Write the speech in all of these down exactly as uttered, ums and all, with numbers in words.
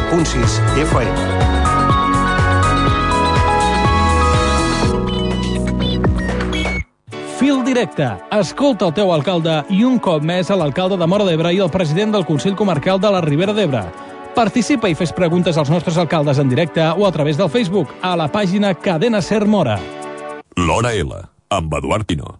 punt sis F M. Fil directe. Escolta el teu alcalde i un cop més a l'alcalde de Móra d'Ebre i el president del Consell Comarcal de la Ribera d'Ebre. Participa i fes preguntes als nostres alcaldes en directe o a través del Facebook a la pàgina Cadena Ser Móra. L'Hora L, amb Eduard Pino.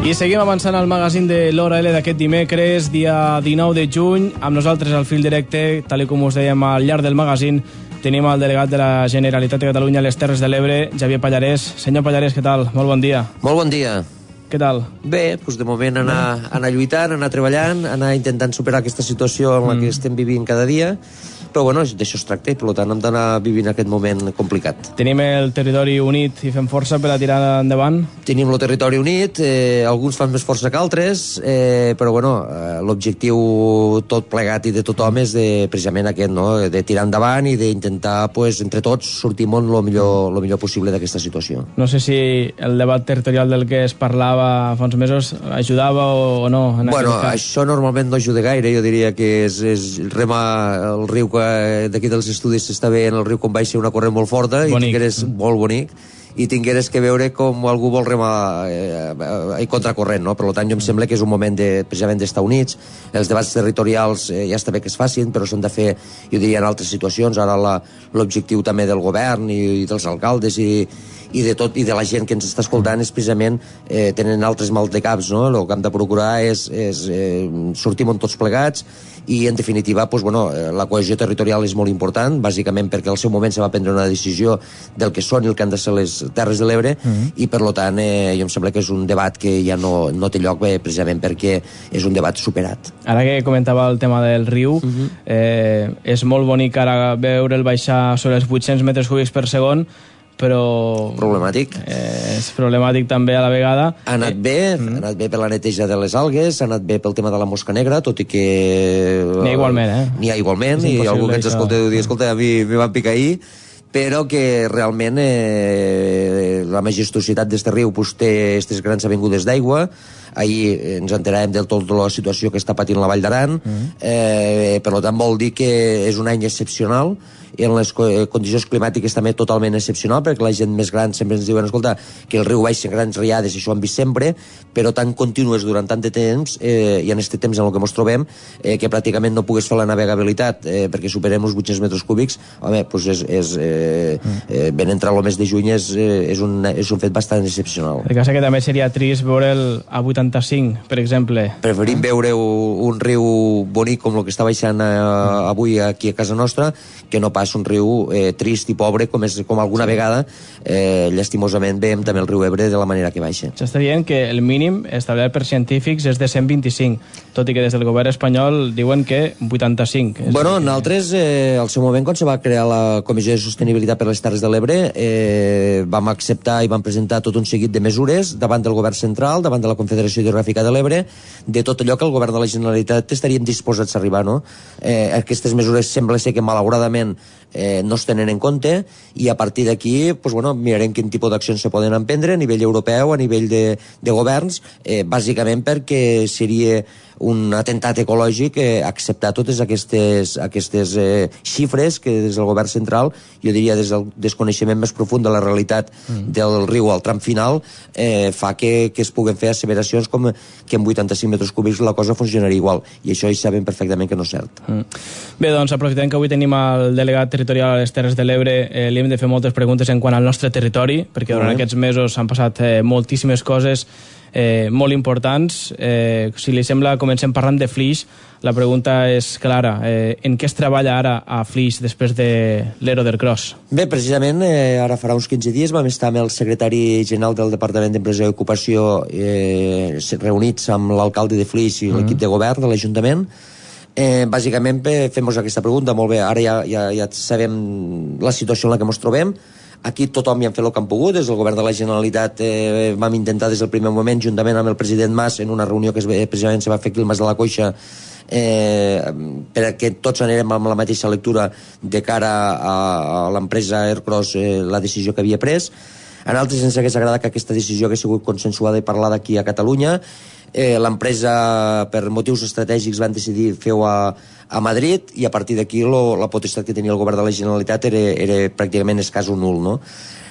I seguim avançant al magazín de l'Hora L d'aquest dimecres, dia dinou de juny. Amb nosaltres al fil directe, tal com us dèiem al llarg del magazín, tenim el delegat de la Generalitat de Catalunya a les Terres de l'Ebre, Xavier Pallarès. Senyor Pallarès, què tal? Molt bon dia. Molt bon dia. Què tal? Bé, doncs de moment anar, anar lluitant, anar treballant, anar intentant superar aquesta situació en la que mm. estem vivint cada dia, però bueno, d'això es tracta i per tant hem d'anar vivint aquest moment complicat. Tenim el territori unit i fem força per a tirar endavant? Tenim el territori unit, eh, alguns fan més força que altres, eh, però bueno, eh, l'objectiu tot plegat i de tothom és de, precisament aquest, no? De tirar endavant i d'intentar, pues, entre tots, sortir molt el millor, lo millor possible d'aquesta situació. No sé si el debat territorial del que es parlava fa uns mesos ajudava o no. En bueno, això normalment no ajuda gaire, jo diria que és, és remar el riu que d'aquí dels estudis s'està veient el riu com baixa una corrent molt forta bonic. I tingueres molt bonic i tingueres que veure com algú vol remar eh, eh, contracorrent, no? Per tant, jo em sembla que és un moment de, precisament d'estar units. Els debats territorials eh, ja està bé que es facin, però s'han de fer, jo diria, en altres situacions. Ara l'objectiu també del govern i, i dels alcaldes i, i de tot, i de la gent que ens està escoltant és precisament eh, tenen altres mal de caps, no? El que hem de procurar és, és eh, sortir tots plegats i, en definitiva, pues, bueno, la cohesió territorial és molt important, bàsicament perquè al seu moment se va prendre una decisió del que són i el que han de ser les Terres de l'Ebre, mm-hmm. i per tant eh, jo em sembla que és un debat que ja no, no té lloc bé, precisament perquè és un debat superat. Ara que comentava el tema del riu, mm-hmm. eh, és molt bonic ara veure'l baixar sobre els vuit-cents metres cúbics per segon, però... Problemàtic. Eh, és problemàtic també a la vegada. Ha anat bé, eh, ha anat bé per la neteja de les algues, ha anat bé pel tema de la mosca negra, tot i que... N'hi ha igualment, eh? N'hi ha igualment, i algú que ens escolta deu dir, escolta, a mi me van picar ahir, però que realment eh, la majestuositat d'este riu pues, té aquestes grans avingudes d'aigua. Ahir ens enteràvem del tot de la situació que està patint la Vall d'Aran, mm. eh, per tant vol dir que és un any excepcional, i en les condicions climàtiques també totalment excepcional, perquè la gent més gran sempre ens diuen, escolta, que el riu baixa en grans riades, i això ho hem vist sempre, però tan contínues durant tant de temps, eh, i en aquest temps en el que ens trobem, eh, que pràcticament no pugues fer la navegabilitat eh, perquè superem els vuit-cents metres cúbics, home, doncs és, és eh, eh, ben entrar el mes de juny és, eh, és, un, és un fet bastant excepcional. El cas que també seria trist veure'l a vuitanta-cinc, per exemple. Preferim veure un riu bonic com el que està baixant eh, avui aquí a casa nostra, que no pas un riu eh, trist i pobre com, és, com alguna vegada eh, llastimosament veiem també el riu Ebre de la manera que baixa. S'està dient que el mínim establert per científics és de cent vint-i-cinc, tot i que des del govern espanyol diuen que vuitanta-cinc. Bueno, nosaltres eh, al seu moment quan se va crear la Comissió de Sostenibilitat per les Terres de l'Ebre eh, vam acceptar i vam presentar tot un seguit de mesures davant del govern central, davant de la Confederació Hidrogràfica de l'Ebre, de tot allò que el govern de la Generalitat estaríem disposats a arribar, no? Eh, aquestes mesures sembla ser que malauradament eh, no es tenen en compte i a partir d'aquí pues, bueno, mirarem quin tipus d'accions se poden emprendre a nivell europeu, a nivell de, de governs, eh, bàsicament perquè seria un atemptat ecològic eh, acceptar totes aquestes, aquestes eh, xifres que des del govern central, jo diria des del desconeixement més profund de la realitat mm. del riu al tram final, eh, fa que, que es puguen fer asseveracions com que en vuitanta-cinc metres cúbics la cosa funcionaria igual, i això hi sabem perfectament que no és cert. Mm. Bé, doncs aprofitem que avui tenim el delegat territorial a les Terres de l'Ebre, eh, li hem de fer moltes preguntes en quant al nostre territori, perquè durant mm. aquests mesos han passat eh, moltíssimes coses Eh, molt importants. Eh, si li sembla, comencem parlant de Flix. La pregunta és clara. Eh, en què es treballa ara a Flix després de l'Ero del Cross? Bé, precisament, eh, ara farà uns quinze dies vam estar amb el secretari general del Departament d'Empresa i Ocupació eh, reunits amb l'alcalde de Flix i mm. l'equip de govern de l'Ajuntament Eh, bàsicament fem-nos aquesta pregunta, molt bé, ara ja, ja, ja sabem la situació en la que ens trobem. Aquí tothom hi ha fet el que han pogut, des del govern de la Generalitat eh, vam intentar des del primer moment, juntament amb el president Mas, en una reunió que es, precisament se va fer aquí al Mas de la Coixa, eh, perquè tots anirem amb la mateixa lectura de cara a, a l'empresa Ercros, eh, la decisió que havia pres. A nosaltres ens hagués agradat que aquesta decisió hagués sigut consensuada i parlada aquí a Catalunya. Eh, l'empresa, per motius estratègics, van decidir fer-ho a, a Madrid, i a partir d'aquí la potestat que tenia el govern de la Generalitat era, era pràcticament escàs o nul, no?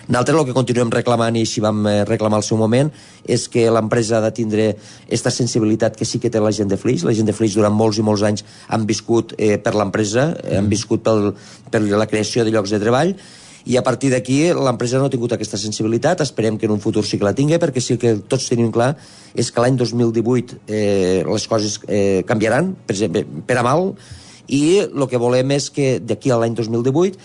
Nosaltres el que continuem reclamant, i així vam reclamar al seu moment, és que l'empresa ha de tindre aquesta sensibilitat que sí que té la gent de Flix. La gent de Flix durant molts i molts anys han viscut eh, per l'empresa, eh, han viscut pel, per la creació de llocs de treball, i a partir d'aquí l'empresa no ha tingut aquesta sensibilitat. Esperem que en un futur sí que la tingui, perquè sí que tots tenim clar és que l'any dos mil divuit eh, les coses eh, canviaran, per exemple, per a mal, i el que volem és que d'aquí a l'any dos mil divuit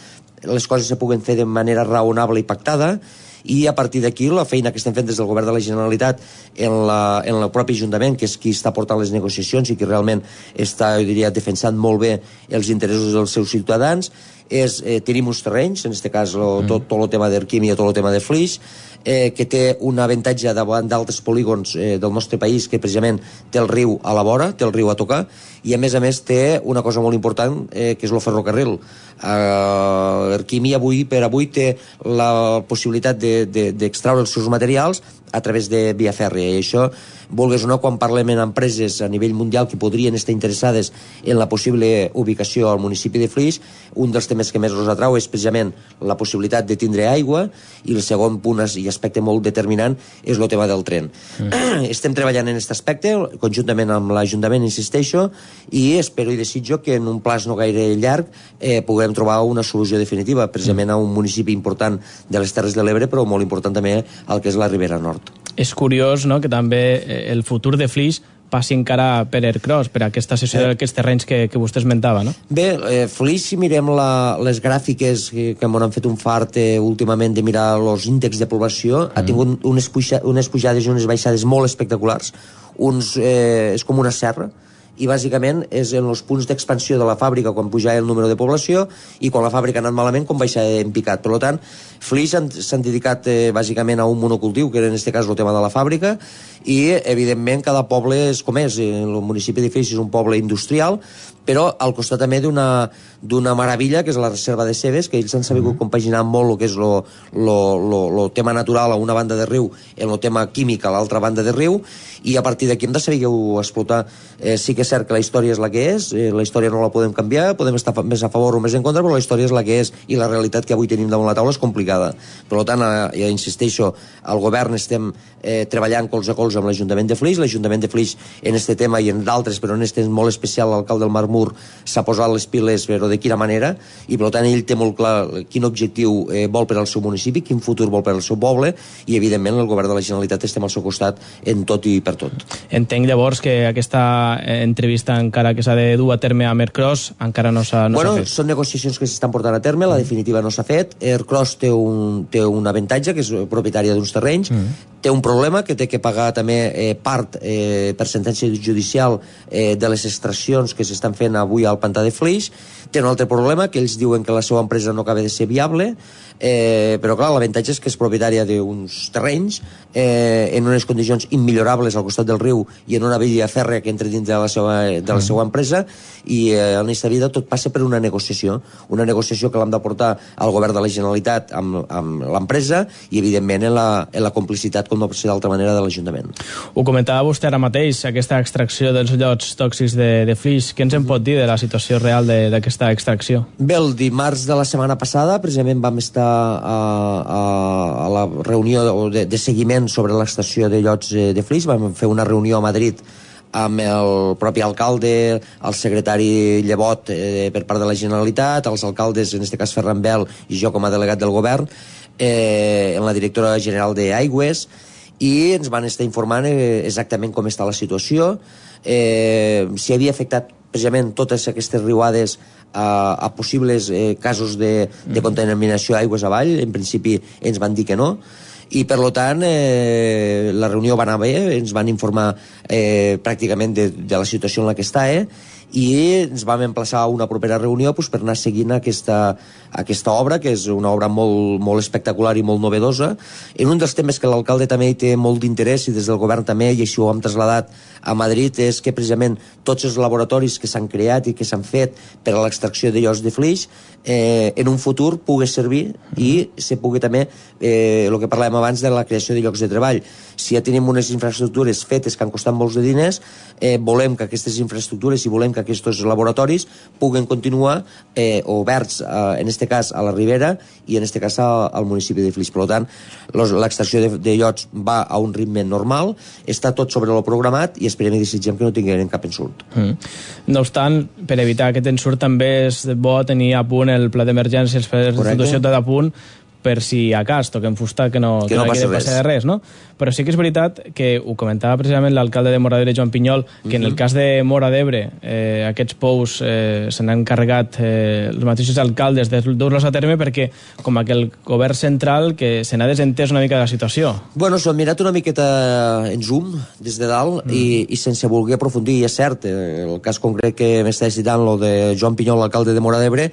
les coses se puguen fer de manera raonable i pactada, i a partir d'aquí la feina que estem fent des del govern de la Generalitat en, la, en el propi Ajuntament, que és qui està portant les negociacions i qui realment està, jo diria, defensant molt bé els interessos dels seus ciutadans, és, eh, tenim uns terrenys, en aquest cas lo, tot, tot el tema d'Erquímia, tot el tema de Flix, eh, que té un avantatge davant d'altres polígons eh, del nostre país, que precisament té el riu a la vora, té el riu a tocar, i a més a més té una cosa molt important, eh, que és el ferrocarril. Eh, Erquímia avui per avui té la possibilitat d'extraure de, de, els seus materials a través de via fèrria, i això, vulgues o no, quan parlem en empreses a nivell mundial que podrien estar interessades en la possible ubicació al municipi de Flix, un dels temes que més els atrau és precisament la possibilitat de tindre aigua, i el segon punt i aspecte molt determinant és el tema del tren. Mm. Estem treballant en aquest aspecte conjuntament amb l'Ajuntament, insisteixo, i espero i desitjo que en un plaç no gaire llarg eh, puguem trobar una solució definitiva, precisament a un municipi important de les Terres de l'Ebre, però molt important també al que és la Ribera Nord. És curiós, no?, que també el futur de Flix passi encara per Ercros, per aquesta cessió eh. d'aquests terrenys que, que vostè esmentava, no? Bé, eh, Flix, si mirem la, les gràfiques que, que m'han fet un fart eh, últimament de mirar els índexs de població, mm. ha tingut unes, puja, unes pujades i unes baixades molt espectaculars. Uns, eh, és com una serra, i bàsicament és en els punts d'expansió de la fàbrica quan pujava el número de població, i quan la fàbrica ha anat malament com baixava en picat. Per tant, Flix s'han dedicat eh, bàsicament a un monocultiu, que era en aquest cas el tema de la fàbrica, i evidentment cada poble és com és. El municipi de Flix és un poble industrial, però al costat també d'una d'una meravella, que és la reserva de Cebes, que ells han sabut mm-hmm. compaginar molt el que és lo, lo, lo, lo tema natural a una banda de riu en el tema químic a l'altra banda de riu, i a partir d'aquí hem de saber explotar. Eh, sí que és cert que la història és la que és, eh, la història no la podem canviar, podem estar més a favor o més en contra, però la història és la que és, i la realitat que avui tenim damunt la taula és complicada. Per tant, eh, ja insisteixo, al govern estem eh, treballant colze a colze amb l'Ajuntament de Flix. L'Ajuntament de Flix en aquest tema i en d'altres, però en aquest molt especial l'alcalde del Marmur s'ha posat les piles, però de quina manera, i per tant ell té molt clar quin objectiu eh, vol per al seu municipi, quin futur vol per al seu poble, i evidentment el govern de la Generalitat estem al seu costat en tot i per tot. Entenc llavors que aquesta entrevista encara que s'ha de dur a terme amb Ercros encara no s'ha no bueno, fet. Són negociacions que s'estan portant a terme, la definitiva no s'ha fet. Ercros té un, té un avantatge, que és propietària d'uns terrenys, mm. té un problema que té que pagar també eh, part eh, per sentència judicial eh, de les extraccions que s'estan fent avui al pantà de Flix. Té un altre problema, que ells diuen que la seva empresa no acaba de ser viable, eh, però clar, l'avantatge és que és propietària d'uns terrenys eh, en unes condicions immillorables al costat del riu i en una via fèrrea que entra dins de la seva, de la seva empresa, i eh, en aquesta vida tot passa per una negociació, una negociació que l'hem de portar al govern de la Generalitat amb, amb l'empresa, i evidentment en la, en la complicitat, com no pot ser d'altra manera, de l'Ajuntament. Ho comentava vostè ara mateix, aquesta extracció dels llots tòxics de, de Flix. Què ens en pot dir de la situació real d'aquesta extracció? Bé, el dimarts de la setmana passada precisament vam estar a, a, a la reunió de, de seguiment sobre l'extracció de llots de Flix. Vam fer una reunió a Madrid amb el propi alcalde, el secretari Llevot eh, per part de la Generalitat, els alcaldes, en aquest cas Ferran Bel i jo com a delegat del govern, eh, en la directora general d'Aigües, i ens van estar informant eh, exactament com està la situació, eh, si havia afectat precisament totes aquestes riuades a, a possibles eh, casos de, de contaminació aigües avall. En principi ens van dir que no, i per tant eh, la reunió va anar bé, ens van informar eh, pràcticament de, de la situació en la que està, eh, i ens vam emplaçar a una propera reunió pues, per anar seguint aquesta, aquesta obra, que és una obra molt, molt espectacular i molt novedosa. En un dels temes que l'alcalde també hi té molt d'interès i des del govern també, i així ho hem traslladat a Madrid, és que precisament tots els laboratoris que s'han creat i que s'han fet per a l'extracció de llocs de flix eh, en un futur pugui servir i se pugui també, eh, el que parlàvem abans de la creació de llocs de treball. Si ja tenim unes infraestructures fetes que han costat molts de diners, eh, volem que aquestes infraestructures i volem que aquests laboratoris puguen continuar eh, oberts, eh, en este cas a la Ribera i en este cas a, al municipi de Flix. Per tant, l'extracció de, de llots va a un ritme normal, està tot sobre el programat i esperem i desitgem que no tinguem cap ensurt. Mm. No obstant, per evitar aquest ensurt també és bo tenir a punt el pla d'emergències per la situació tot a punt, per si a cas toquem fusta que no, que no, no passi res. de res, no? Però sí que és veritat que ho comentava precisament l'alcalde de Móra d'Ebre, Joan Pinyol, que uh-huh. en el cas de Móra d'Ebre eh, aquests pous eh, se n'han encarregat eh, els mateixos alcaldes de dur-los a terme perquè com que el govern central que se n'ha desentès una mica de la situació. Bueno, s'ho han mirat una miqueta en zoom des de dalt mm. i, i sense voler aprofundir, i és cert, el cas concret que m'estava citant, lo de Joan Pinyol, l'alcalde de Móra d'Ebre,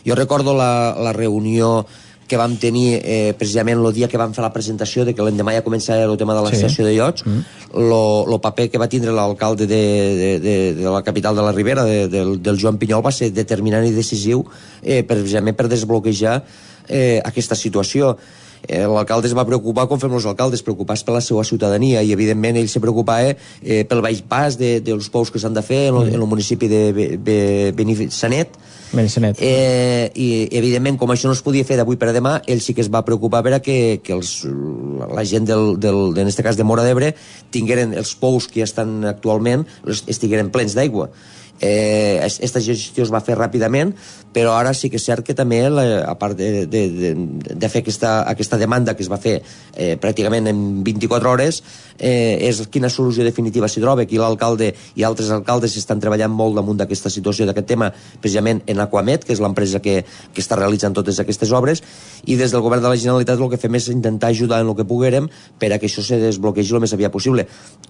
jo recordo la, la reunió que vam tenir eh, precisament el dia que vam fer la presentació de que l'endemà ja començava el tema de l'extracció sí. de llots, el mm. paper que va tindre l'alcalde de, de, de, de la capital de la Ribera, de, de, del Joan Pinyol, va ser determinant i decisiu eh, precisament per desbloquejar eh, aquesta situació. Eh, l'alcalde es va preocupar, com fem els alcaldes, preocupats per la seva ciutadania, i evidentment ell se preocupava eh, pel baix pas de, dels pous que s'han de fer en el, en el municipi de Be, Be, Benissanet. Eh, i evidentment, com això no es podia fer d'avui per a demà, ell sí que es va preocupar per a que, que els, la gent del, del, en este cas de Móra d'Ebre tingueren els pous que ja estan actualment, estigueren plens d'aigua. Eh, aquesta gestió es va fer ràpidament, però ara sí que és cert que també la, a part de, de, de, de fer aquesta, aquesta demanda que es va fer eh, pràcticament en vint-i-quatre hores, eh, és quina solució definitiva s'hi troba. Aquí l'alcalde i altres alcaldes estan treballant molt damunt d'aquesta situació, d'aquest tema, precisament en Aquamet, que és l'empresa que, que està realitzant totes aquestes obres, i des del govern de la Generalitat el que fem és intentar ajudar en el que poguérem per a que això se desbloquegi el més aviat possible,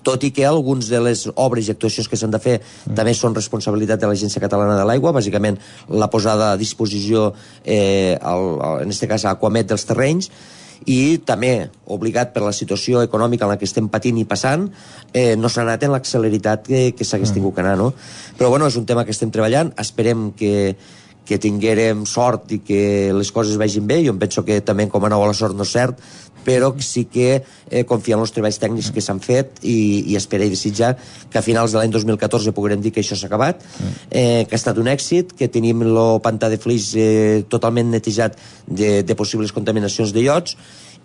tot i que alguns de les obres i actuacions que s'han de fer mm. també són responsabilitat de l'Agència Catalana de l'Aigua, bàsicament la posada a disposició eh, al, al, en este cas a Aquamet dels terrenys, i també obligat per la situació econòmica en la que estem patint i passant, eh, no s'ha anat en l'acceleritat que, que s'hagués tingut que anar, no? Però bueno, és un tema que estem treballant, esperem que que tinguérem sort i que les coses vagin bé. Jo em penso que també com a nou a la sort no és cert, però sí que eh, confiem en els treballs tècnics que s'han fet i, i espera i desitjar que a finals de l'any dos mil catorze puguem dir que això s'ha acabat, eh, que ha estat un èxit, que tenim el pantà de Flix eh, totalment netejat de, de possibles contaminacions de llots,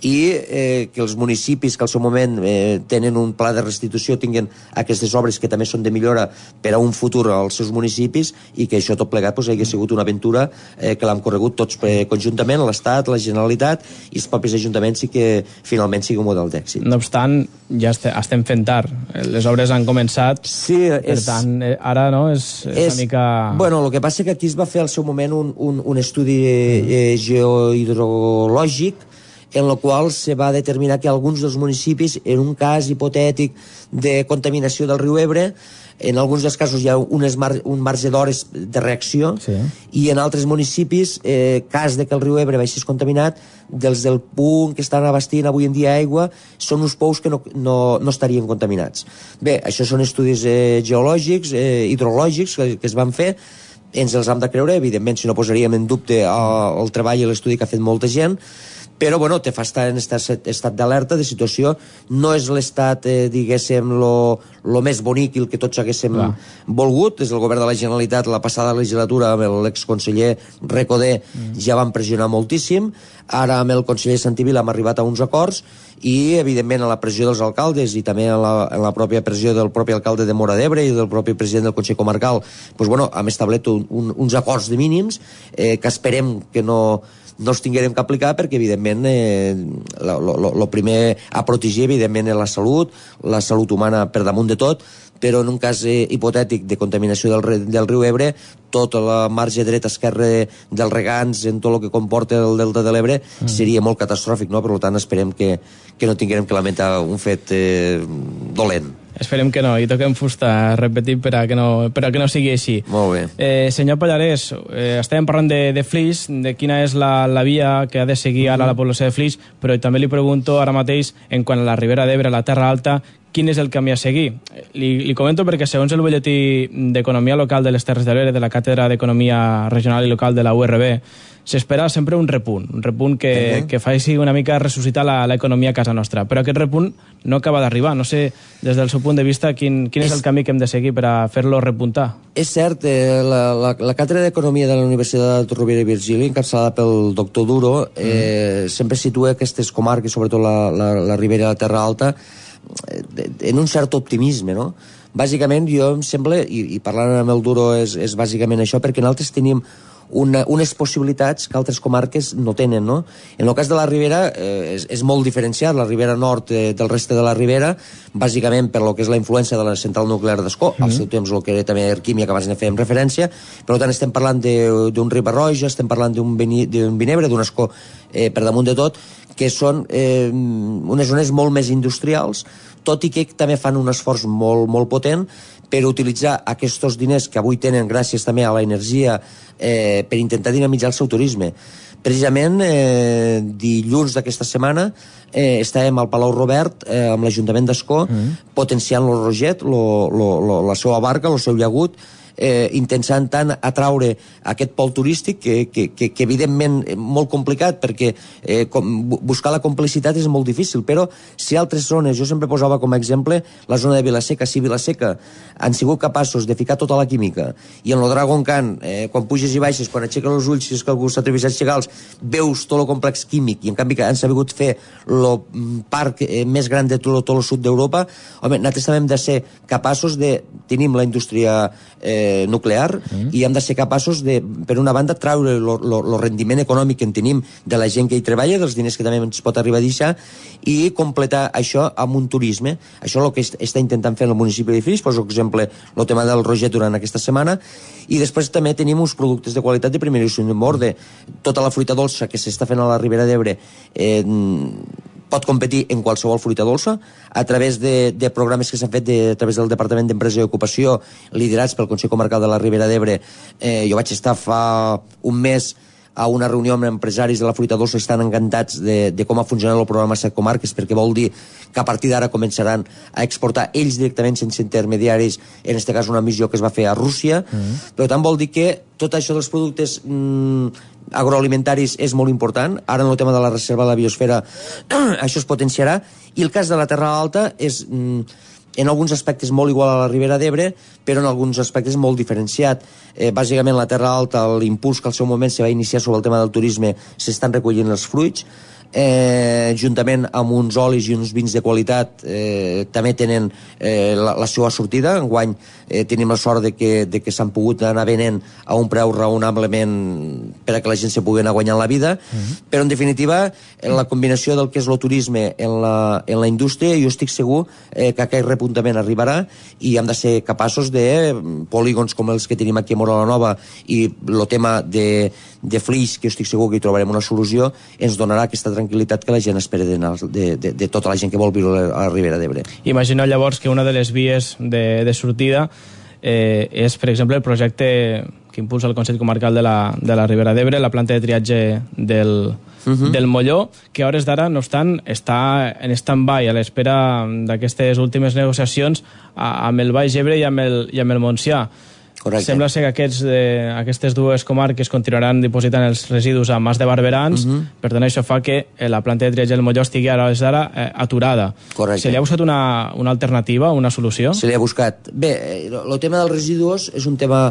i eh, que els municipis que al seu moment eh, tenen un pla de restitució tinguin aquestes obres que també són de millora per a un futur als seus municipis, i que això tot plegat pues, hagi sigut una aventura eh, que l'hem corregut tots eh, conjuntament, l'Estat, la Generalitat i els propis ajuntaments, i que finalment sigui un model d'èxit. No obstant, ja estem fent tard. Les obres han començat, sí, per és, tant, ara no, és, és, és una mica... Bueno, el que passa és que aquí es va fer al seu moment un, un, un estudi eh, geohidrològic en el qual se va determinar que alguns dels municipis, en un cas hipotètic de contaminació del riu Ebre, en alguns dels casos hi ha unes mar un marge d'hores de reacció, sí. I en altres municipis, eh, cas de que el riu Ebre baixés contaminat, dels del punt que estan abastint avui en dia aigua, són uns pous que no, no, no estarien contaminats. Bé, això són estudis eh, geològics, eh, hidrològics que, que es van fer, ens els hem de creure, evidentment, si no posaríem en dubte el, el treball i l'estudi que ha fet molta gent, però bueno, te fa estar en estat, estat d'alerta, de situació. No és l'estat, eh, diguéssim, lo, lo més bonic i el que tots haguéssim Clar. volgut. Des del govern de la Generalitat, la passada legislatura, amb l'exconseller Recoder, mm. ja van pressionar moltíssim. Ara amb el conseller Santivila hem arribat a uns acords, i evidentment a la pressió dels alcaldes i també a la, a la pròpia pressió del propi alcalde de Móra d'Ebre i del propi president del Consell Comarcal, pues bueno, hem establert un, un, uns acords de mínims eh, que esperem que no no els tinguérem que aplicar, perquè evidentment eh, el primer a protegir evidentment és la salut, la salut humana per damunt de tot, però en un cas eh, hipotètic de contaminació del, del riu Ebre, tota la marge dreta esquerra dels regants en tot el que comporta el delta de l'Ebre mm. seria molt catastròfic, no? Per tant esperem que, que no tinguérem que lamentar un fet eh, dolent. Esperem que no, i toquem fusta, repetim, per a que no, per a que no sigui així. Molt bé. Eh, senyor Pallarès, eh, estàvem parlant de, de Flix, de quina és la, la via que ha de seguir ara la població de Flix, però també li pregunto ara mateix, en quant a la Ribera d'Ebre, la Terra Alta, quin és el camí a seguir? Li, li comento perquè segons el butlletí d'Economia Local de les Terres de l'Ebre, de la Càtedra d'Economia Regional i Local de la U R B, s'espera sempre un repunt, un repunt que, uh-huh. que faci una mica ressuscitar l'economia a casa nostra. Però aquest repunt no acaba d'arribar. No sé, des del seu punt de vista, quin, quin és, és el camí que hem de seguir per a fer-lo repuntar. És cert, eh, la, la, la Càtedra d'Economia de la Universitat de Rovira i Virgili, encapçalada pel doctor Duro, eh, uh-huh. sempre situa aquestes comarques, sobretot la, la, la Ribera i la Terra Alta, en un cert optimisme, no? Bàsicament, jo em sembla, i, i parlant amb el Duro és, és bàsicament això, perquè nosaltres tenim una, unes possibilitats que altres comarques no tenen, no? En el cas de la Ribera eh, és, és molt diferenciat, la Ribera Nord eh, del reste de la Ribera, bàsicament per lo que és la influència de la central nuclear d'Ascó, mm-hmm. al seu temps el que era també Erquímia, que abans ne fèiem referència, per tant estem parlant d'un Riba-roja, estem parlant d'un Vinebre, d'un Ascó eh, per damunt de tot, que són eh, unes zones molt més industrials, tot i que també fan un esforç molt, molt potent per utilitzar aquests diners que avui tenen gràcies també a l'energia eh, per intentar dinamitzar el seu turisme. Precisament, eh, dilluns d'aquesta setmana eh, estàvem al Palau Robert eh, amb l'Ajuntament d'Ascó mm. potenciant el Roget, lo, lo, lo, la seva barca, el seu llagut, eh, intentant tant atraure aquest pol turístic que, que, que, que evidentment és molt complicat perquè eh, com, buscar la complicitat és molt difícil, però si altres zones, jo sempre posava com a exemple la zona de Vilaseca, si Vilaseca han sigut capaços de ficar tota la química i en el Dragon Khan, eh, quan puges i baixes, quan aixeques els ulls, si és que algú s'atreveix a aixecar-los, veus tot el complex químic i en canvi han sabut fer el parc eh, més gran de tot, tot el sud d'Europa, home, nosaltres també hem de ser capaços de, tenim la indústria eh, nuclear mm. i hem de ser capaços de, per una banda, traure el rendiment econòmic que en tenim de la gent que hi treballa, dels diners que també ens pot arribar a deixar i completar això amb un turisme. Això és el que està intentant fer el municipi de Flix, poso exemple el tema del Roget durant aquesta setmana, i després també tenim uns productes de qualitat de primeríssim ordre. Tota la fruita dolça que s'està fent a la Ribera d'Ebre eh, pot competir en qualsevol fruita dolça a través de, de programes que s'han fet de, a través del Departament d'Empresa i Ocupació liderats pel Consell Comarcal de la Ribera d'Ebre. Eh, jo vaig estar fa un mes a una reunió amb empresaris de la fruita dolça, estan encantats de, de com ha funcionat el programa Set Comarques, perquè vol dir que a partir d'ara començaran a exportar ells directament sense intermediaris, en aquest cas una missió que es va fer a Rússia, mm-hmm. però tant vol dir que tot això dels productes mm, agroalimentaris és molt important. Ara en el tema de la reserva de la biosfera això es potenciarà, i el cas de la Terra Alta és mm, en alguns aspectes molt igual a la Ribera d'Ebre, però en alguns aspectes molt diferenciat. Eh, bàsicament la Terra Alta, l'impuls que al seu moment se va iniciar sobre el tema del turisme, s'estan recollint els fruits, eh, juntament amb uns olis i uns vins de qualitat eh, també tenen eh, la, la seva sortida. Enguany eh, tenim la sort de que, de que s'han pogut anar venent a un preu raonablement per a que la gent se pugui anar guanyant la vida, uh-huh. però en definitiva en la combinació del que és el turisme en la, en la indústria, jo estic segur eh, que aquest repuntament arribarà i hem de ser capaços de polígons com els que tenim aquí a Móra la Nova i el tema de, de Flix, que estic segur que hi trobarem una solució, ens donarà aquesta tranquil·litat que la gent espera de, de, de, de tota la gent que vol viure a la Ribera d'Ebre. Imagineu llavors que una de les vies de, de sortida eh, és, per exemple, el projecte que impulsa el Consell Comarcal de la, de la Ribera d'Ebre, la planta de triatge del, uh-huh. del Molló, que a hores d'ara, no obstant, està en stand-by a l'espera d'aquestes últimes negociacions a, amb el Baix Ebre i amb el, i amb el Montsià. Correcte. Sembla ser que aquests, eh, aquestes dues comarques continuaran dipositant els residus a Mas de Barberans, uh-huh. per tant això fa que eh, la planta de triatge del Molló estigui ara d'ara eh, aturada. Correcte. Se li ha buscat una, una alternativa, una solució? Se li ha buscat. Bé, el tema dels residus és un tema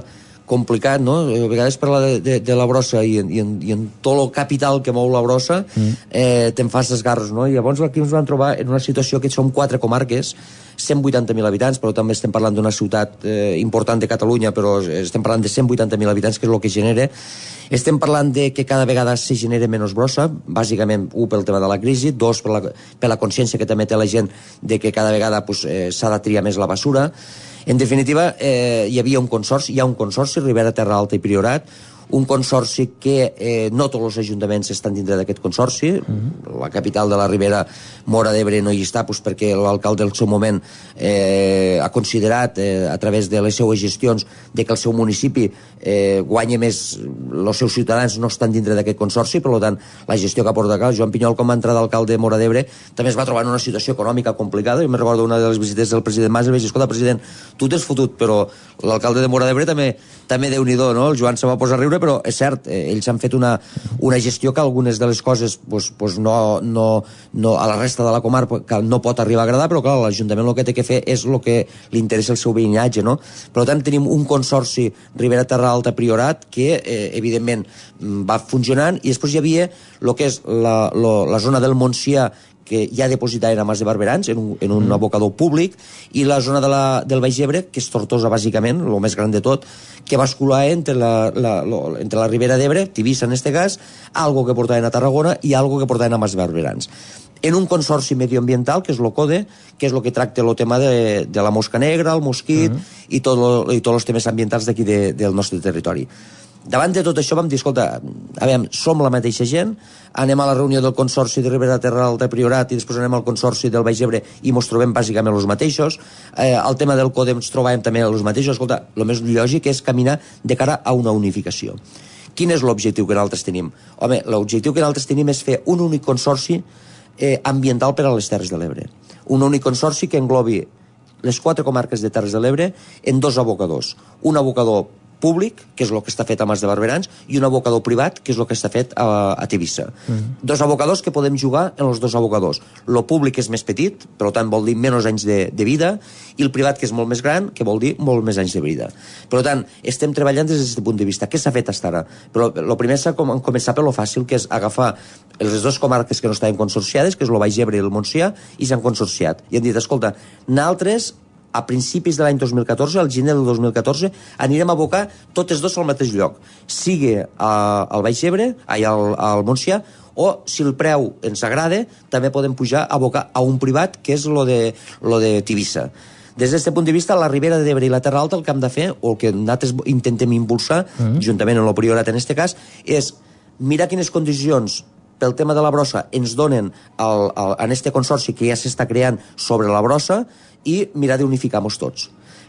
complicat, no? A vegades parlar de, de, de la brossa i en, i, en, i en tot el capital que mou la brossa mm. eh, te'n fas esgarros, no? I llavors aquí ens vam trobar en una situació que som quatre comarques, cent vuitanta mil habitants, però també estem parlant d'una ciutat eh, important de Catalunya, però estem parlant de cent vuitanta mil habitants, que és el que genera. Estem parlant de que cada vegada se genera menys brossa, bàsicament, un, pel tema de la crisi, dos, per la, per la consciència que també té la gent de que cada vegada pues, eh, s'ha de triar més la basura. En definitiva, eh, hi havia un consorci, hi ha un consorci, Ribera, Terra Alta i Priorat, un consorci que eh, no tots els ajuntaments estan dintre d'aquest consorci. Uh-huh. La capital de la Ribera, Móra d'Ebre, no hi està pues, perquè l'alcalde del seu moment eh, ha considerat eh, a través de les seues gestions de que el seu municipi eh, guanya més, els seus ciutadans no estan dintre d'aquest consorci, per tant la gestió que ha portat acá, Joan Pinyol com va entrar d'alcalde de Móra d'Ebre també es va trobar en una situació econòmica complicada. Jo me recordo una de les visites del president Mas i vaig dir, escolta president, tu t'has fotut, però l'alcalde de Móra d'Ebre també, també Déu-n'hi-do, no? El Joan se va posar a riure, però és cert, eh, ells han fet una, una gestió que algunes de les coses pues, pues no, no, no, a la resta de la comarca no pot arribar a agradar, però clar, l'Ajuntament el que té que fer és el que li interessa el seu veïnatge, no? Per tant, tenim un consorci Ribera Terra Alta Priorat que, eh, evidentment, va funcionant, i després hi havia el que és la, la, la zona del Montsià, que ja depositaven a Mas de Barberans en un, en un mm. abocador públic, i la zona de la, del Baix Ebre, que és Tortosa bàsicament, el més gran de tot, que basculava entre la, la, lo, entre la Ribera d'Ebre, Tivissa en este cas, algo que portaven a Tarragona i algo que portaven a Mas de Barberans. En un consorci medioambiental, que és l'OCODE, que és el que tracta el tema de, de la mosca negra, el mosquit, mm. i, tot lo, i tots els temes ambientals d'aquí de, del nostre territori. Davant de tot això vam dir, escolta, a veure, som la mateixa gent, anem a la reunió del Consorci de Ribera Terra Alta Priorat i després anem al Consorci del Baix Ebre i ens trobem bàsicament els mateixos. Eh, el tema del CODE ens trobàvem també els mateixos. Escolta, el més lògic és caminar de cara a una unificació. Quin és l'objectiu que nosaltres tenim? Home, l'objectiu que nosaltres tenim és fer un únic consorci eh, ambiental per a les Terres de l'Ebre. Un únic consorci que englobi les quatre comarques de Terres de l'Ebre en dos abocadors. Un abocador públic, que és el que està fet a Mas de Barberans, i un abocador privat, que és el que està fet a, a Tivissa. Mm. Dos abocadors que podem jugar en els dos abocadors. Lo públic és més petit, per tant vol dir menys anys de, de vida, i el privat, que és molt més gran, que vol dir molt més anys de vida. Per tant, estem treballant des d'aquest punt de vista. Què s'ha fet fins ara? Però el primer s'ha com, començat per lo fàcil, que és agafar les dues comarques que no estaven consorciades, que és el Baix Ebre i el Montsià, i s'han consorciat. I han dit, escolta, nosaltres a principis de l'any dos mil catorze, al gener del dos mil catorze, anirem a abocar totes dos al mateix lloc. Sigui al Baix Ebre, ai, al, al Montsià, o, si el preu ens agrada, també podem pujar a abocar a un privat, que és lo de, lo de Tivissa. Des d'aquest punt de vista, la Ribera d'Ebre i la Terra Alta el que hem de fer, o el que nosaltres intentem impulsar, mm-hmm. juntament amb el Priorat en aquest cas, és mirar quines condicions pel tema de la brossa ens donen el, el, en este consorci que ja s'està creant sobre la brossa, i mirar d'unificar-nos tots.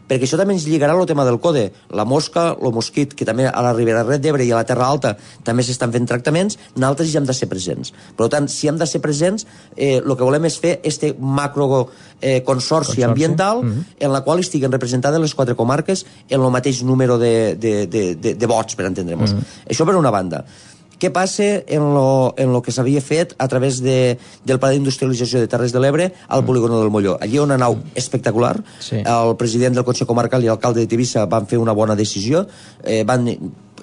Perquè això també ens lligarà el tema del CODE. La mosca, el mosquit, que també a la Ribera d'Ebre i a la Terra Alta també s'estan fent tractaments, nosaltres ja hem de ser presents. Per tant, si hem de ser presents, eh, el que volem és fer este macro eh, consorci, consorci ambiental, mm-hmm. en la qual estiguen representades les quatre comarques en el mateix número de, de, de, de, de vots, per entendre-nos. Mm-hmm. Això per una banda. Què passa en lo, en lo que s'havia fet a través de, del Pla d'Industrialització de Terres de l'Ebre al polígono del Molló? Allí hi ha una nau espectacular. Sí. El president del Consell Comarcal i l'alcalde de Tivissa van fer una bona decisió. Eh, van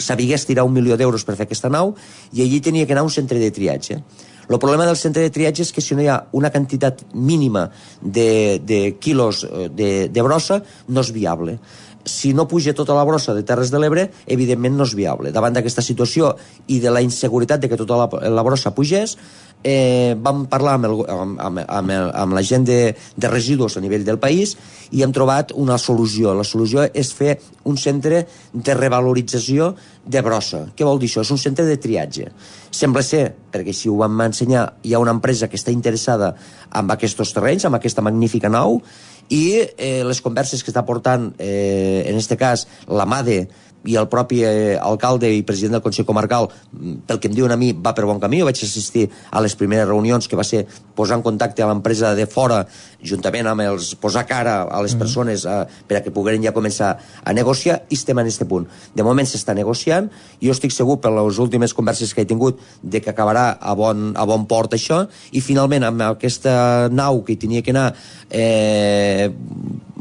saber estirar un milió d'euros per fer aquesta nau, i allí tenia que anar un centre de triatge. El problema del centre de triatge és que si no hi ha una quantitat mínima de, de quilos de, de brossa, no és viable. Si no puja tota la brossa de Terres de l'Ebre, evidentment no és viable. Davant d'aquesta situació i de la inseguretat de que tota la, la brossa pugés, eh, vam parlar amb, el, amb, amb, amb, el, amb la gent de, de residus a nivell del país i hem trobat una solució. La solució és fer un centre de revalorització de brossa. Què vol dir això? És un centre de triatge. Sembla ser, perquè si ho vam ensenyar, hi ha una empresa que està interessada en aquests terrenys, amb aquesta magnífica nau, i eh, les converses que està portant, eh, en aquest cas, la MADE i el propi eh, alcalde i president del Consell Comarcal, pel que em diuen a mi, va per bon camí. Jo vaig assistir a les primeres reunions, que va ser posar en contacte a l'empresa de fora, juntament amb els posar cara a les persones eh, per a que pogueren ja començar a negociar, i estem en aquest punt. De moment s'està negociant, i jo estic segur, per les últimes converses que he tingut, de que acabarà a bon, a bon port això, i finalment amb aquesta nau que hi tenia que anar eh,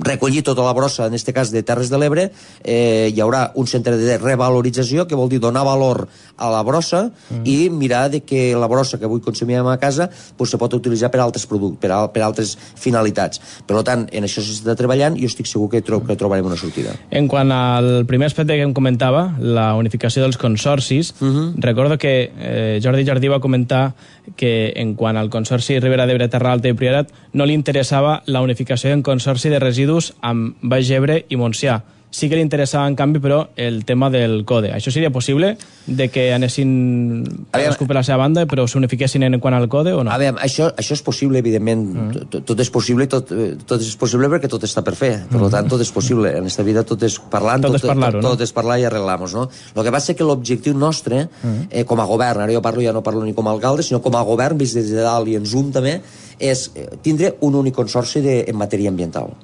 recollir tota la brossa, en aquest cas de Terres de l'Ebre, eh, hi haurà un centre de revalorització, que vol dir donar valor a la brossa, mm. i mirar de que la brossa que avui consumim a casa pues, se pot utilitzar per altres productes, per, al, per altres finalitats. Per tant, en això s'està treballant i jo estic segur que, tro que trobarem una sortida. En quant al primer aspecte que em comentava, la unificació dels consorcis, mm -hmm. recordo que eh, Jordi Jardí va comentar que en quant al consorci Ribera d'Ebre, Terra Alta i Priorat no li interessava la unificació en consorci de residus amb Baix Ebre i Montsià, sí que li interessava, en canvi, però, el tema del code. Això seria possible, de que anessin cadascú per la seva banda, però s'unifiquessin en quant al code, o no? A veure, això, això és possible, evidentment. Mm. Tot, tot és possible, tot, tot és possible perquè tot està per fer. Per mm. tant, tot és possible. En aquesta vida tot és parlant, tot, tot, és, parlar tot, no? tot és parlar i arreglar-nos, no? El que passa és que l'objectiu nostre, mm. eh, com a govern, ara jo parlo, ja no parlo ni com a alcalde, sinó com a govern, vist des de dalt i en zoom també, és tindre un únic consorci de, en matèria ambiental.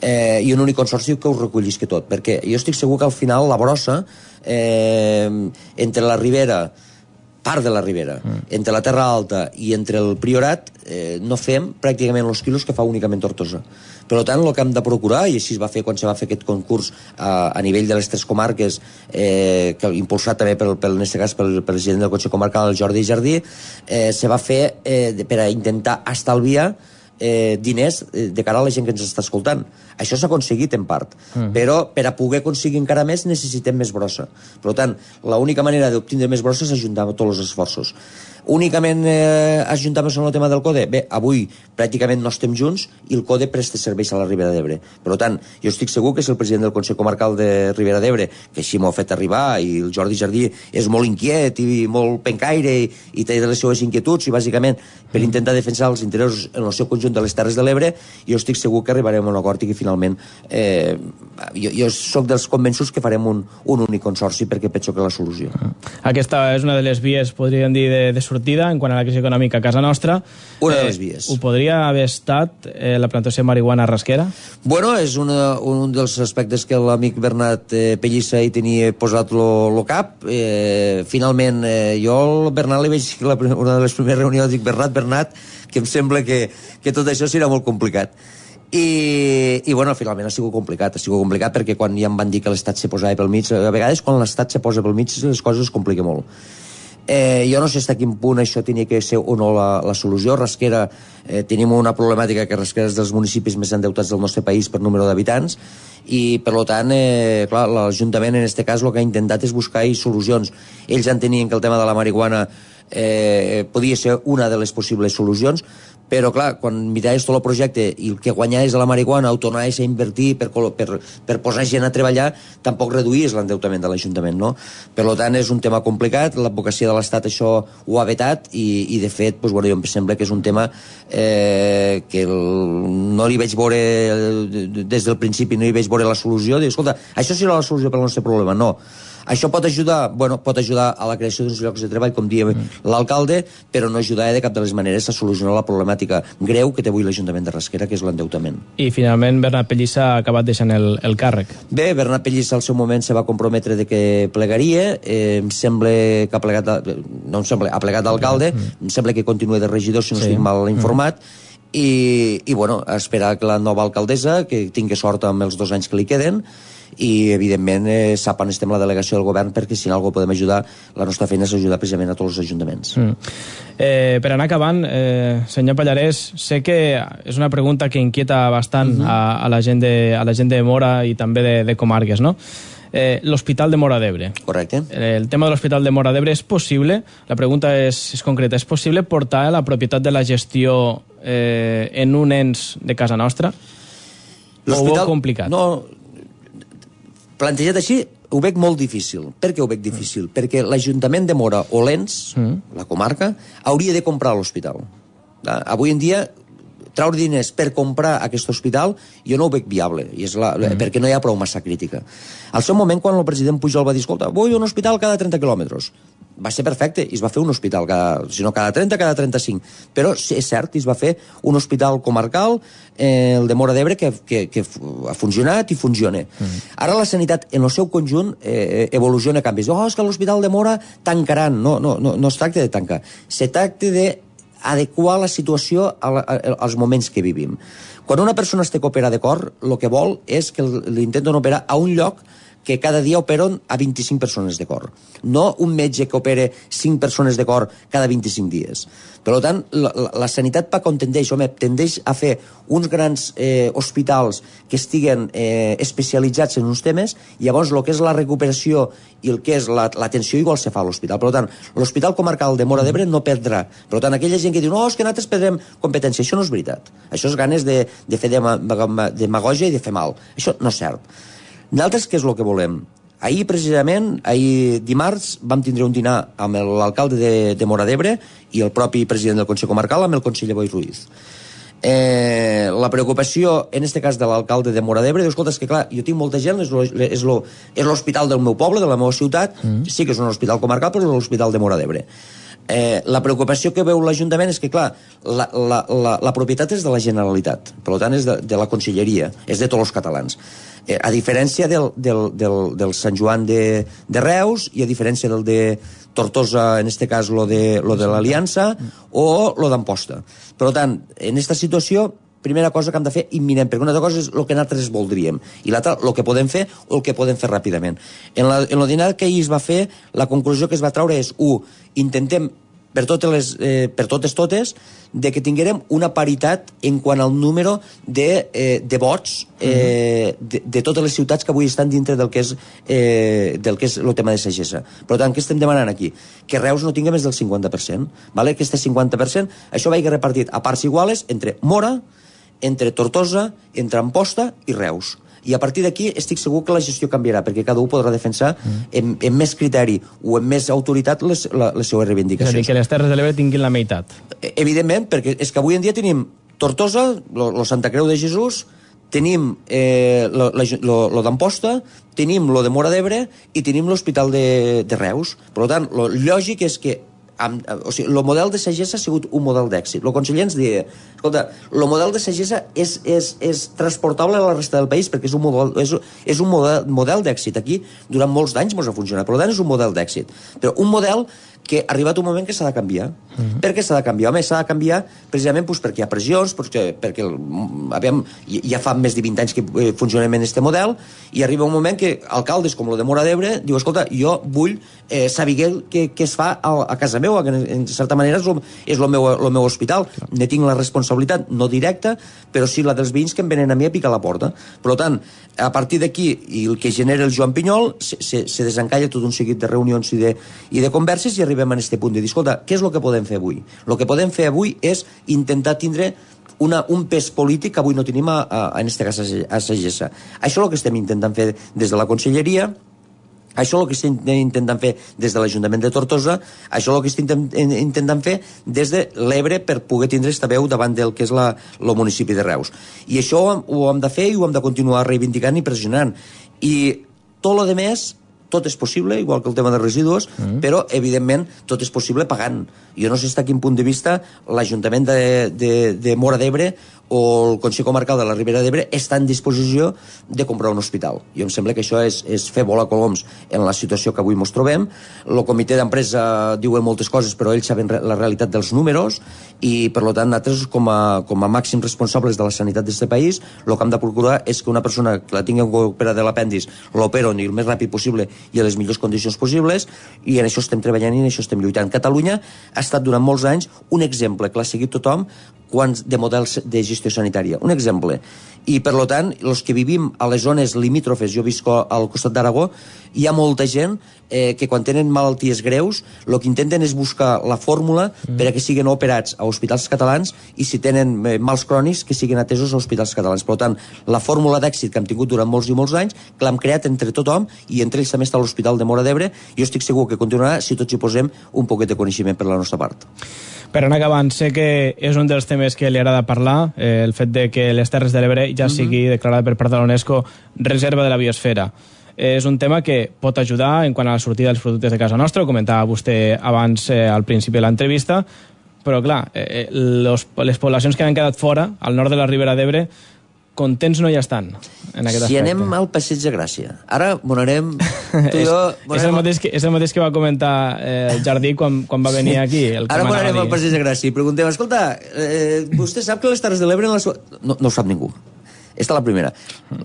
Eh, i un únic consorci que ho recollisqui tot, perquè jo estic segur que al final la brossa eh, entre la ribera, part de la ribera, mm. entre la Terra Alta i entre el Priorat eh, no fem pràcticament els quilos que fa únicament Tortosa. Per tant, el que hem de procurar, i així es va fer quan se va fer aquest concurs a, a nivell de les tres comarques, eh, que impulsat també pel, pel, en aquest cas pel president del Consell Comarcal, el Jordi Jardí, eh, se va fer eh, per a intentar estalviar eh, diners de cara a la gent que ens està escoltant. Això s'ha aconseguit en part, mm. però per a poder aconseguir encara més necessitem més brossa. Per tant, l'única manera d'obtindre més brossa és ajuntar tots els esforços. Únicament eh, ajuntar-nos en el tema del code? Bé, avui pràcticament no estem junts i el code presta serveis a la Ribera d'Ebre. Per tant, jo estic segur que si el president del Consell Comarcal de Ribera d'Ebre, que així m'ho ha fet arribar, i el Jordi Jardí és molt inquiet i molt pencaire i, i té les seues inquietuds i bàsicament per intentar defensar els interessos en el seu conjunt de les Terres de l'Ebre, jo estic segur que arribarem a un acord i que finalment eh, jo, jo soc dels convençuts que farem un, un únic consorci perquè penso que la solució. Aquesta és una de les vies, podríem dir, de, de sortida en quant a la crisi econòmica a casa nostra. Una de les vies. Eh, ho podria haver estat eh, la plantació de marihuana a Rasquera? Bueno, és una, un dels aspectes que l'amic Bernat eh, Pellissa hi tenia posat lo cap. Eh, finalment, eh, jo al Bernat li veig la, una de les primeres reunions, dic, Bernat, Bernat, que em sembla que, que tot això serà molt complicat. I, i bueno, finalment ha sigut complicat, ha sigut complicat perquè quan ja em van dir que l'Estat se posava pel mig, a vegades quan l'Estat se posa pel mig les coses es compliquen molt. Eh, jo no sé fins a quin punt això tenia que ser o no la, la solució. Rasquera, eh, tenim una problemàtica que Rasquera és dels municipis més endeutats del nostre país per número d'habitants i per tant, eh, clar, l'Ajuntament en aquest cas el que ha intentat és buscar solucions. Ells entenien que el tema de la marihuana eh, podia ser una de les possibles solucions, però clar, quan miraves tot el projecte i el que guanyaves de la marihuana ho tornaves a invertir per, per, per posar gent a treballar, tampoc reduïes l'endeutament de l'Ajuntament, no? Per tant, és un tema complicat, l'advocacia de l'Estat això ho ha vetat i, i de fet, doncs, bueno, jo em sembla que és un tema eh, que el, no li veig veure des del principi, no hi veig veure la solució, dic, escolta, això serà la solució per al nostre problema, no. Això pot ajudar, bueno, pot ajudar a la creació d'uns llocs de treball, com dia mm. l'alcalde, però no ajudarà de cap de les maneres a solucionar la problemàtica greu que té avui l'Ajuntament de Rasquera, que és l'endeutament. I finalment Bernat Pellissa ha acabat deixant el, el càrrec. Bé, Bernat Pellissa al seu moment se va comprometre de que plegaria, eh, em sembla que ha plegat, no em sembla, ha plegat d'alcalde, mm. em sembla que continua de regidor, si no sí. estic mal informat, mm. i, i bueno, esperar que la nova alcaldessa, que tingui sort amb els dos anys que li queden, i evidentment eh, sap on estem la delegació del govern perquè si en alguna podem ajudar, la nostra feina és ajudar precisament a tots els ajuntaments. Mm. Eh, per anar acabant, eh, senyor Pallarès, sé que és una pregunta que inquieta bastant mm -hmm. a, a, la gent de, a la gent de Mora i també de, de comarques, no? Eh, l'Hospital de Mora d'Ebre. Correcte. Eh, el tema de l'Hospital de Mora d'Ebre és possible, la pregunta és, és concreta, és possible portar la propietat de la gestió eh, en un ens de casa nostra? O ho veu complicat? No, plantejat així, ho veig molt difícil. Per què ho veig difícil? Mm. Perquè l'Ajuntament de Mora o l'Ens, mm. la comarca, hauria de comprar l'hospital. Avui en dia, traure diners per comprar aquest hospital jo no ho veig viable, i és la, mm. perquè no hi ha prou massa crítica. Al seu moment, quan el president Pujol va dir, escolta, vull un hospital cada trenta quilòmetres, va ser perfecte, i es va fer un hospital, cada, si no cada trenta, cada trenta-cinc. Però és cert, es va fer un hospital comarcal, eh, el de Mora d'Ebre, que, que, que ha funcionat i funciona. Mm. Ara la sanitat, en el seu conjunt, eh, evoluciona, canvis. Oh, és que l'Hospital de Mora tancaran. No, no, no, no es tracta de tancar. Se tracta d'adequar la situació a la, a, als moments que vivim. Quan una persona es té que operar de cor, el que vol és que l'intenten operar a un lloc que cada dia operen a vint-i-cinc persones de cor. No un metge que opera cinc persones de cor cada vint-i-cinc dies. Per tant, la, la, la sanitat pa com tendeix, home, tendeix a fer uns grans eh, hospitals que estiguen eh, especialitzats en uns temes, i llavors el que és la recuperació i el que és l'atenció la, igual se fa a l'hospital. Per tant, l'Hospital Comarcal de Mora d'Ebre no perdrà. Per tant, aquella gent que diu, no, és que nosaltres perdrem competència, això no és veritat. Això és ganes de, de fer demagògia i de fer mal. Això no és cert. Nosaltres què és el que volem? Ahir, precisament, ahir dimarts, vam tindre un dinar amb l'alcalde de, de Móra d'Ebre i el propi president del Consell Comarcal, amb el conseller Boi Ruiz. Eh, la preocupació, en este cas de l'alcalde de Móra d'Ebre, diu, escolta, és que clar, jo tinc molta gent, és l'hospital del meu poble, de la meva ciutat, mm. sí que és un hospital comarcal, però és l'hospital de Móra d'Ebre. Eh, la preocupació que veu l'Ajuntament és que, clar, la, la, la, la propietat és de la Generalitat, per tant és de, de la Conselleria, és de tots els catalans. Eh, a diferència del, del, del, del Sant Joan de, de Reus i a diferència del de Tortosa, en este cas lo de, lo de l'Aliança, o lo d'Amposta. Per tant, en aquesta situació, primera cosa que hem de fer imminent, perquè una altra cosa és el que nosaltres voldríem, i l'altra, el que podem fer o el que podem fer ràpidament. En, la, en el dinar que ahir es va fer, la conclusió que es va treure és, u, intentem per totes, les, eh, per totes totes, de que tinguérem una paritat en quant al número de, eh, de vots eh, de, de totes les ciutats que avui estan dintre del que és, eh, del que és el tema de sagessa. Per tant, què estem demanant aquí? Que Reus no tingui més del cinquanta per cent. Vale? Aquest cinquanta per cent, això vagi repartit a parts iguales entre Móra, entre Tortosa, entre Amposta i Reus. I a partir d'aquí estic segur que la gestió canviarà, perquè cada un podrà defensar mm. en, en més criteri o en més autoritat les, la, les seues reivindicacions. És a dir, que les Terres de l'Ebre tinguin la meitat. Evidentment, perquè és que avui en dia tenim Tortosa, lo, lo Santa Creu de Jesús, tenim eh, lo, lo, lo d'Amposta, tenim lo de Móra d'Ebre i tenim l'Hospital de, de Reus. Per tant, lo lògic és que Amb, o sigui, el model de sagessa ha sigut un model d'èxit. El conseller ens deia, escolta, el model de sagessa és, és, és transportable a la resta del país perquè és un model, és, és un model, model d'èxit. Aquí, durant molts d'anys ens ha funcionat, per tant és un model d'èxit. Però un model que ha arribat un moment que s'ha de canviar. Uh-huh. Per què s'ha de canviar? Home, s'ha de canviar precisament pues, perquè hi ha pressions, perquè, perquè aviam, ja fa més de vint anys que funcionem en aquest model, i arriba un moment que alcaldes com el de Móra d'Ebre diu, escolta, jo vull eh, saber què, què es fa a, a casa meva, que en certa manera és el, és el, meu, el meu hospital. Ne tinc la responsabilitat, no directa, però sí la dels veïns que em venen a mi a picar la porta. Per tant, a partir d'aquí, i el que genera el Joan Pinyol, se, se, se desencalla tot un seguit de reunions i de, i de converses, i arribem a aquest punt de dir, escolta, què és el que podem fer avui? El que podem fer avui és intentar tindre una, un pes polític que avui no tenim a, a, en aquest cas a Sagessa. Això és el que estem intentant fer des de la Conselleria, això és el que estem intentant fer des de l'Ajuntament de Tortosa, això és el que estem intentant fer des de l'Ebre per poder tindre aquesta veu davant del que és la, el municipi de Reus. I això ho hem de fer i ho hem de continuar reivindicant i pressionant. I tot el que més, tot és possible, igual que el tema de residus, mm. però, evidentment, tot és possible pagant. Jo no sé fins a quin punt de vista l'Ajuntament de, de, de Móra d'Ebre o el Consell Comarcal de la Ribera d'Ebre està en disposició de comprar un hospital. Jo em sembla que això és, és fer volar coloms en la situació que avui ens trobem. El comitè d'empresa diu moltes coses, però ells saben la realitat dels números i, per tant, nosaltres, com a, com a màxims responsables de la sanitat d'aquest país, el que hem de procurar és que una persona que la tingui operada de l'apèndix l'operen el més ràpid possible i a les millors condicions possibles, i en això estem treballant i en això estem lluitant. Catalunya ha estat durant molts anys un exemple que l'ha seguit tothom quants de models de gestió sanitària. Un exemple. I, per tant, els que vivim a les zones limítrofes, jo visco al costat d'Aragó, hi ha molta gent eh, que quan tenen malalties greus el que intenten és buscar la fórmula mm. per a que siguin operats a hospitals catalans i si tenen eh, mals crònics que siguin atesos a hospitals catalans. Per tant, la fórmula d'èxit que hem tingut durant molts i molts anys, que l'hem creat entre tothom i entre ells també està l'Hospital de Móra d'Ebre, jo estic segur que continuarà si tots hi posem un poquet de coneixement per la nostra part. Per anar acabant, sé que és un dels temes que li agrada parlar, eh, el fet de que les Terres de l'Ebre ja mm-hmm. sigui declarada per part de l'UNESCO reserva de la biosfera. És un tema que pot ajudar en quant a la sortida dels productes de casa nostra, ho comentava vostè abans eh, al principi de l'entrevista, però clar, eh, los, les poblacions que han quedat fora, al nord de la Ribera d'Ebre, contents no hi estan en aquest si aspecte. Anem al Passeig de Gràcia. Ara m'anarem... és, és, el mateix que, és el mateix que va comentar eh, el Jardí quan, quan va venir aquí. El Ara m'anarem al Passeig de Gràcia i preguntem, escolta, eh, vostè sap que les Terres de l'Ebre... La so... no, no ho sap ningú. Esta la primera.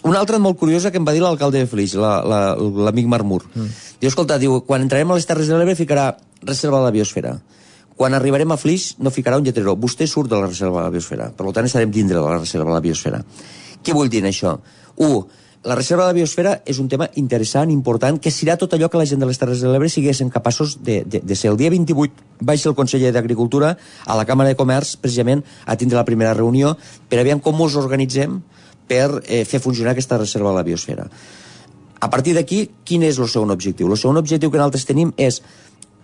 Una altra molt curiosa que em va dir l'alcalde de Flix, l'amic Marmur. Mm. Diu, escolta, diu, quan entrarem a les Terres de l'Ebre ficarà reserva de la biosfera. Quan arribarem a Flix no ficarà un lletrero. Vostè surt de la reserva de la biosfera. Per tant, estarem dintre de la reserva de la biosfera. Què vull dir això? Un, la reserva de la biosfera és un tema interessant, important, que serà tot allò que la gent de les Terres de l'Ebre siguessin capaços de, de, de ser. El dia vint-i-vuit vaig ser el conseller d'Agricultura a la Càmera de Comerç, precisament, a tindre la primera reunió per aviam com ens organitzem per eh, fer funcionar aquesta reserva de la biosfera. A partir d'aquí, quin és el segon objectiu? El segon objectiu que nosaltres tenim és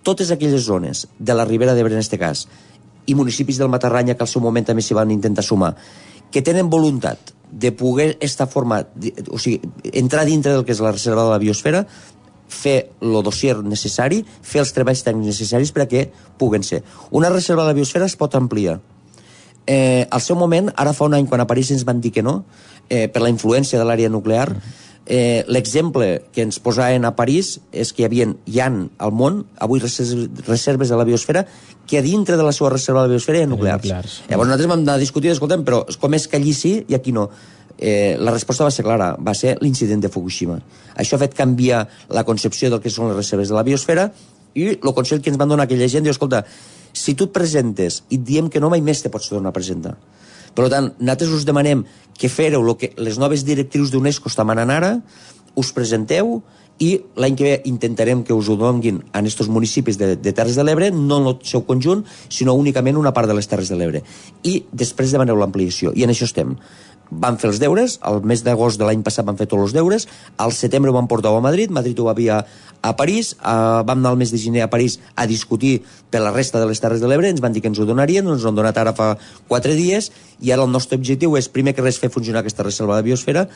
totes aquelles zones de la Ribera d'Ebre, en aquest cas, i municipis del Matarranya, que al seu moment també s'hi van intentar sumar, que tenen voluntat de poder estar format, o sigui, entrar dintre del que és la reserva de la biosfera, fer el dossier necessari, fer els treballs tècnics necessaris perquè puguen ser. Una reserva de la biosfera es pot ampliar. Eh, al seu moment, ara fa un any, quan a París ens van dir que no, eh, per la influència de l'àrea nuclear, eh, l'exemple que ens posaven a París és que hi havia, hi ha al món, avui reserves de la biosfera, que a dintre de la seva reserva de la biosfera hi ha nuclears. nuclears. Llavors nosaltres vam anar a discutir, escoltem, però com és que allí sí i aquí no? Eh, la resposta va ser clara, va ser l'incident de Fukushima. Això ha fet canviar la concepció del que són les reserves de la biosfera i el consell que ens van donar aquella gent diu, escolta, si tu et presentes i et diem que no, mai més te pots tornar a presentar. Per tant, nosaltres us demanem que fereu lo que les noves directrius d'UNESCO estan manant ara, us presenteu i l'any que ve intentarem que us ho donguin en aquests municipis de, de Terres de l'Ebre, no en el seu conjunt, sinó únicament una part de les Terres de l'Ebre. I després demaneu l'ampliació, i en això estem. Van fer els deures, al mes d'agost de l'any passat van fer tots els deures, al setembre ho van portar a Madrid, Madrid ho va enviar a París, uh, vam anar al mes de gener a París a discutir per la resta de les Terres de l'Ebre, ens van dir que ens ho donarien, ens ho han donat ara fa quatre dies, i ara el nostre objectiu és, primer que res, fer funcionar aquesta reserva de biosfera,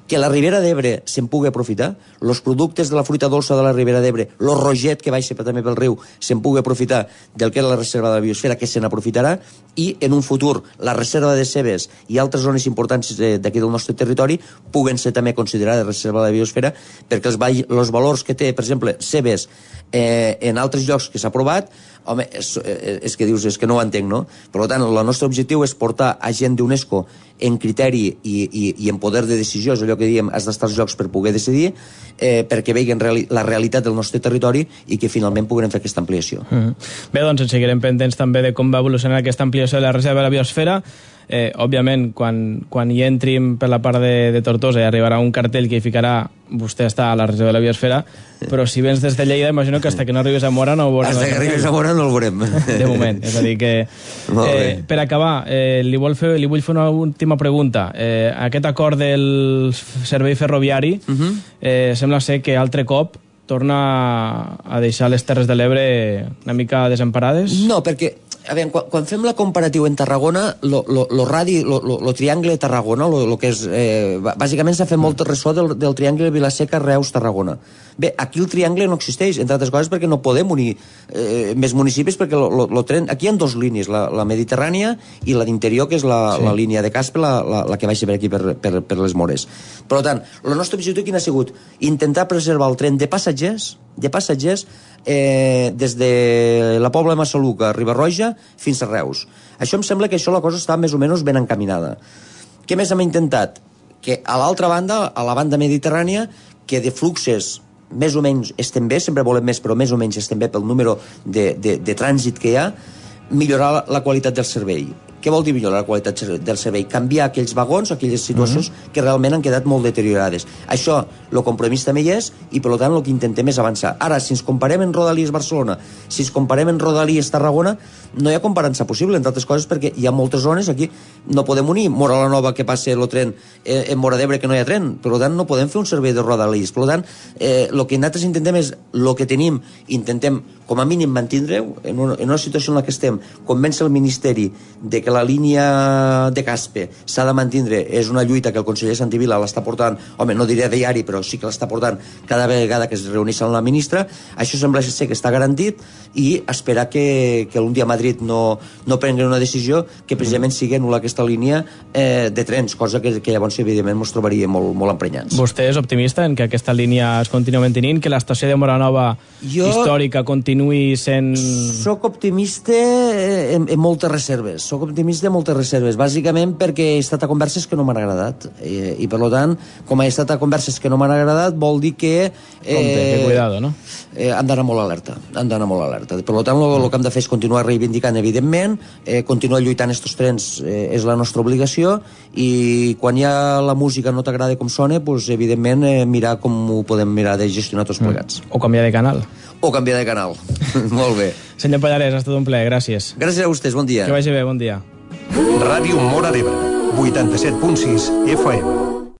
que la Ribera d'Ebre se'n pugui aprofitar, els productes de la fruita dolça de la Ribera d'Ebre, el roget que baixa també pel riu, se'n pugui aprofitar del que és la reserva de la biosfera, que se n'aprofitarà, i en un futur la reserva de cebes i altres zones importants d'aquí del nostre territori puguen ser també considerades reserva de la biosfera, perquè els, els valors que té, per exemple, cebes eh, en altres llocs que s'ha provat, home, és, és que dius, és que no ho entenc, no? Per tant, el nostre objectiu és portar a gent d'UNESCO en criteri i, i, i en poder de decisió, és allò que diem, has d'estar als llocs per poder decidir, eh, perquè veien reali la realitat del nostre territori i que finalment puguem fer aquesta ampliació. Mm. Bé, doncs ens seguirem pendents també de com va evolucionar aquesta ampliació de la reserva de la biosfera. Eh, òbviament, quan, quan hi entrim per la part de, de Tortosa hi arribarà un cartell que hi ficarà vostè està a la reserva de la biosfera, però si vens des de Lleida, imagino que hasta que no arribes a Mora no ho veurem. Hasta que arribes a Mora no el veurem. De moment, és a dir que... Eh, per acabar, eh, li, vol fer, li vull fer una última pregunta. Eh, aquest acord del servei ferroviari uh -huh. eh, sembla ser que altre cop torna a deixar les Terres de l'Ebre una mica desemparades? No, perquè a veure, quan, quan fem la comparativa en Tarragona, lo, lo, lo radi, lo, lo, lo triangle de Tarragona, lo, lo que és, eh, bàsicament s'ha fet molt ressò del, del triangle de Vilaseca, Reus, Tarragona. Bé, aquí el triangle no existeix, entre altres coses perquè no podem unir eh, més municipis, perquè lo, lo, lo tren... aquí hi ha dues línies, la, la mediterrània i la d'interior, que és la, sí. la línia de Caspe, la, la, la que baixa per aquí, per, per, per les Mores. Per tant, el nostre objectiu quin ha sigut? Intentar preservar el tren de passatgers, de passatgers, Eh, des de la Pobla de Massaluca, Riba-roja, fins a Reus. Això em sembla que això la cosa està més o menys ben encaminada. Què més hem intentat? Que a l'altra banda, a la banda mediterrània, que de fluxes més o menys estem bé, sempre volem més, però més o menys estem bé pel número de, de, de trànsit que hi ha, millorar la, la qualitat del servei. Què vol dir millorar la qualitat del servei? Canviar aquells vagons, aquelles situacions uh-huh. que realment han quedat molt deteriorades. Això, el compromís també hi és, i per tant el que intentem és avançar. Ara, si ens comparem en Rodalies Barcelona, si ens comparem en Rodalies Tarragona, no hi ha comparança possible, entre altres coses, perquè hi ha moltes zones aquí, no podem unir Mora la Nova, que passa el tren en Mora d'Ebre, que no hi ha tren, per tant no podem fer un servei de Rodalies. Per tant, eh, el que nosaltres intentem és, el que tenim, intentem com a mínim mantindre-ho, en una, en una situació en la que estem, convèncer el Ministeri de que la línia de Caspe s'ha de mantindre, és una lluita que el conseller Santivila l'està portant, home, no diré diari, però sí que l'està portant cada vegada que es reuneix amb la ministra. Això sembla ser que està garantit, i esperar que, que un dia a Madrid no, no prengui una decisió que precisament sigui anul·lar aquesta línia eh, de trens, cosa que, que llavors evidentment ens trobaria molt, molt emprenyats. Vostè és optimista en que aquesta línia es continua mantenint, que l'estació de Mora Nova jo històrica continuï sent... Soc optimista en, en moltes reserves, soc optimista en moltes reserves, bàsicament perquè he estat a converses que no m'han agradat, i, i per tant, com he estat a converses que no m'han agradat, vol dir que... Eh, Compte, que cuidado, no? Eh, han d'anar molt alerta, han d'anar molt alerta. Per tant, el, el que hem de fer és continuar reivindicant, evidentment, eh, continuar lluitant estos trens eh, és la nostra obligació, i quan hi ha la música no t'agrada com sona, pues, evidentment, eh, mirar com ho podem mirar de gestionar tots plegats. Mm. O canviar de canal. O canviar de canal. Molt bé. Senyor Pallarès, ha estat un plaer, gràcies. Gràcies a vostès, bon dia. Que vagi bé, bon dia. Ràdio Mora d'Ebre, vuitanta-set punt sis F M.